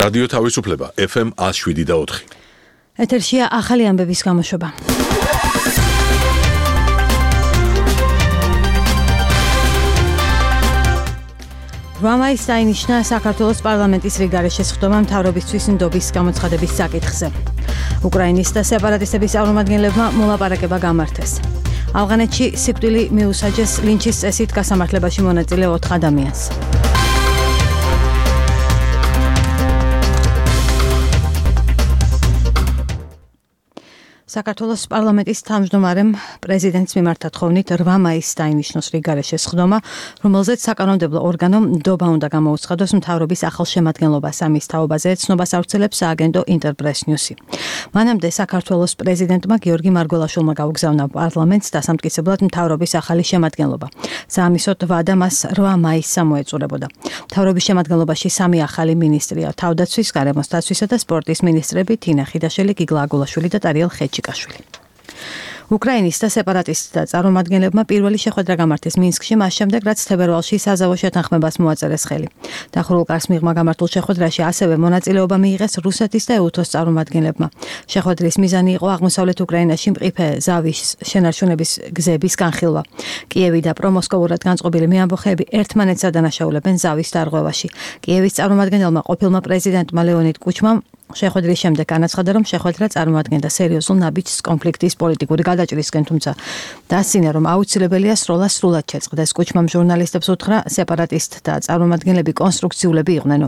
რადიო თავისუფლება FM 107.4. ეთერშია ახალი ამბების გამოშვება. რამაის დაინიშნა საქართველოს პარლამენტის რიგარეშე შესხდომა მთავრობისთვის ნდობის გამოცხადების საკითხზე. უკრაინის და სეპარატისტების წარმომადგენლებმა მოლაპარაკება გამართეს. ავღანეთში სიკვდილი მიუსაჯეს ლინჩის წესით გასამართლებაში მონაწილე 4 ადამიანს. საქართველოს პარლამენტის თავმჯდომარემ პრეზიდენტის მიმართ თხოვნით 8 მაისს დაინიშნოს რიგარეშე შესხდომა, რომელზეც საკანონმდებლო ორგანომ ნდობა უნდა გამოუცხადოს მთავრობის ახალ შემადგენლობას. ამის თაობაზე ცნობას ავრცელებს სააგენტო ინტერპრეს ნიუსი. მანამდე საქართველოს პრეზიდენტმა გიორგი მარგველაშვილმა გაუგზავნა პარლამენტს დასამტკიცებლად მთავრობის ახალი შემადგენლობა. საამისოდ ვადა მას 8 მაისს მოეწურებოდა. მთავრობის შემადგენლობაში 3 ახალი მინისტრია: თავდაცვის, გარემოს დაცვისა და სპორტის მინისტრები თინა ხიდაშვილი, გიგლა აგულაშვილი და ტარიელ ხეჩიკაშვილი. უკრაინის და სეპარატისტთა წარმომადგენლებმა პირველი შეხვედრა გამართეს მინსკში, მას შემდეგ რაც თებერვალში საზავო შეთანხმებას მოაწერეს ხელი. დახურულ კარს მიღმა გამართულ შეხვედრაში ასევე მონაწილეობა მიიღეს რუსეთის და ეუთოს წარმომადგენლებმა. შეხვედრის მიზანი იყო აღმოსავლეთ უკრაინაში მყიფე ზავის შენარჩუნების გზების განხილვა. კიევი და პრომოსკოვურად განწყობილი მეამბოხეები ერთმანეთს ადანაშაულებენ ზავის დარღვევაში. კიევის წარმომადგენელმა ყოფილმა პრეზიდენტმა ლეონიდ კუჩმამ შეხვედრის შემდეგ განაცხადა, რომ შეხვედრა წარმოადგენდა სერიოზულ ნაბიჯს კონფლიქტის პოლიტიკური გადაჭრისკენ, თუმცა დასცინა, რომ აუცილებელია სროლა სრულად შეწყდეს. კუჩმამ ჟურნალისტებს უთხრა, სეპარატისტთა წარმომადგენლები კონსტრუქციულები იყვნენ.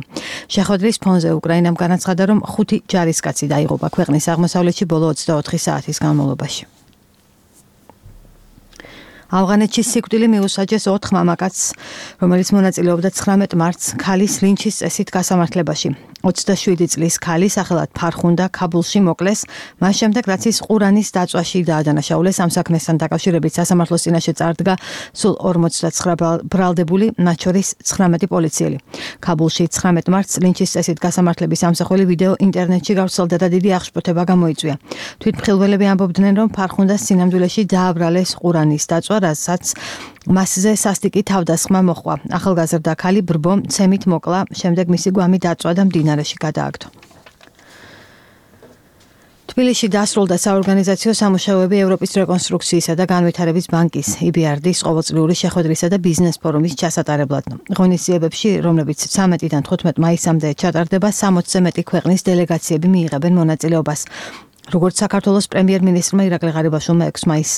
შეხვედრის ფონზე უკრაინამ განაცხადა, რომ 5 ჯარისკაცი დაიღუპა ქვეყნის აღმოსავლეთში ბოლო 24 საათის განმავლობაში. ავღანეთში სიკვდილი მიუსაჯეს 4 მამაკაცს, რომელიც მონაწილეობდა 19 მარტს ქალის ლინჩის წესით გასამართლებაში. 27 წლის ქალი სახელად ფარხუნდა ქაბულში მოკლეს, მას შემდეგ რაც ის ყურანის დაწვაში დაადანაშაულეს. ამ საქმესთან დაკავშირებით სასამართლოს წინაშე წარდგა სულ 49 ბრალდებული, მათ შორის 19 პოლიციელი. ქაბულში 19 მარტს ლინჩის წესით გასამართლების ამსახველი ვიდეო ინტერნეტში გავრცელდა და დიდი აღშფოთება გამოიწვია. თვითმხილველები ამბობდნენ, რომ ფარხუნდას სინამდვილეში დააბრალეს ყურანის დაწვა, რასაც მასზე სასტიკი თავდასხმა მოჰყვა. ახალგაზრდა ქალი ბრბო მცემით მოკლა, შემდეგ მისი გვამი დაწვა და მდინარეში გადააგდო. თბილისში დასრულდა საორგანიზაციო სამუშაოები ევროპის რეკონსტრუქციისა და განვითარების ბანკის EBRD-ის ყოველწლიური შეხვედრისა და ბიზნეს ფორუმის ჩასატარებლად. ღონისძიებებში, რომლებიც 13-დან 15 მაისამდე ჩატარდება, 60-ზე მეტი ქვეყნის დელეგაციები მიიღებენ მონაწილეობას. როგორც საქართველოს პრემიერ-მინისტრმა ირაკლი ღარიბაშვილმა 6 მაისს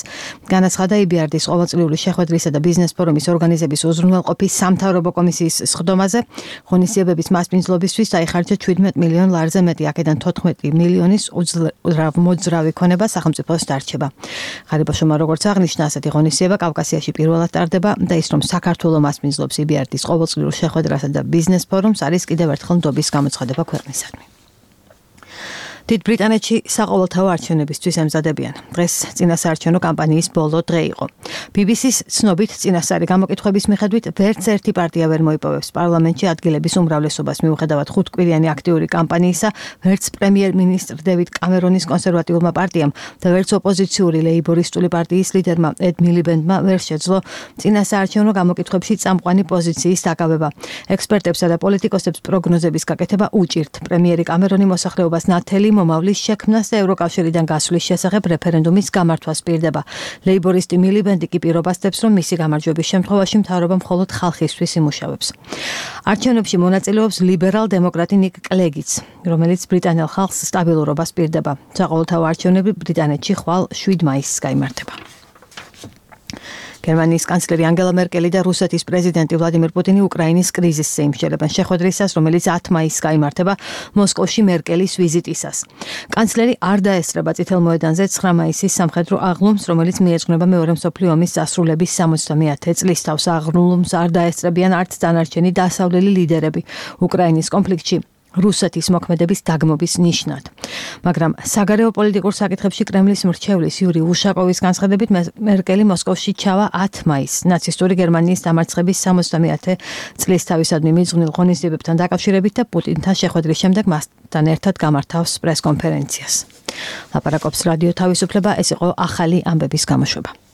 განაცხადა, EBRD-ის ყოველწლიური შეხვედრისა და ბიზნეს ფორუმის ორგანიზების უზრუნველყოფის სამთავრობო კომისიის სხდომაზე ღონისძიებების მასპინძლობისთვის დაიხარჯა 17 მილიონ ლარზე მეტი, აქედან 14 მილიონის მოძრავი ქონება სახელმწიფოს დარჩება. ღარიბაშვილმა როგორც აღნიშნა, ასეთი ღონისძიება კავკასიაში პირველად ტარდება და ის, რომ საქართველო მასპინძლობს EBRD-ის ყოველწლიურ შეხვედრასა და ბიზნეს ფორუმს, არის კიდევ ერთხელ ნდობის გამოცხადება ქვეყნისადმი. დიდ ბრიტანეთში საყოველთაო არჩევნებისთვის ემზადებიან. დღეს წინასაარჩევნო კამპანიის ბოლო დღე იყო. BBC-ს ცნობით წინასწარი გამოკითხვების მიხედვით ვერც ერთი პარტია ვერ მოიპოვებს პარლამენტში ადგილების უმრავლესობას. მიუხედავად 5 კვირიანი აქტიური კამპანიისა, ვერც პრემიერ-მინისტრ დევიდ კამერონის კონსერვატიულმა პარტიამ და ვერც ოპოზიციური ლეიბორისტული პარტიის ლიდერმა ედ მილიბენდმა ვერ შეძლო წინასაარჩევნო გამოკითხვებში წამყვანი პოზიციის დაკავება. ექსპერტებსა და პოლიტიკოსებს პროგნოზების გაკეთება უჭირთ. პრემიერი კამერონი მოსახლეობას ნათელი მომავლის შექმნას და ევროკავშირიდან გასვლის შესახებ რეფერენდუმის გამართვას პირდება. ლეიბორისტი მილიბენდი კი პირობასდებს, რომ მისი გამარჯვების შემთხვევაში მთავრობა მხოლოდ ხალხისთვის იმუშავებს. არჩევნებში მონაწილეობს ლიბერალ-დემოკრატი ნიკ კლეგიც, რომელიც ბრიტანელ ხალხს სტაბილურობას პირდება. საყოველთაო არჩევნები ბრიტანეთში ხვალ 7 მაისს გაიმართება. გერმანიის კანცლერი ანგელა მერკელი და რუსეთის პრეზიდენტი ვლადიმირ პუტინი უკრაინის კრიზისზე იმსჯელებენ შეხვედრისას, რომელიც 10 მაისს გაიმართება მოსკოვში მერკელის ვიზიტისას. კანცლერი არ დაესწრება წითელ მოედანზე 9 მაისის სამხედრო აღლუმს, რომელიც მიეძღვნება მეორე მსოფლიო ომის დასრულების 70-ე წლისთავს. აღლუმს არ დაესწრებიან არც დანარჩენი დასავლელი ლიდერები უკრაინის კონფლიქტში რუსეთის მოქმედების დაგმობის ნიშნად. მაგრამ საგარეო პოლიტიკურ საკითხებში კრემლის მრჩევლის იური უშაკოვის განცხადებით მერკელი მოსკოვში ჩავა 10 მაისს ნაცისტური გერმანიის დამარცხების 70-ე წლის თავისადმი მიძღვნილ ღონისძიებებთან დაკავშირებით და პუტინთან შეხვედრის შემდეგ მასთან ერთად გამართავს პრესკონფერენციას. ლაპარაკობს რადიო თავისუფლება, ეს იყო ახალი ამბების გამოშვება.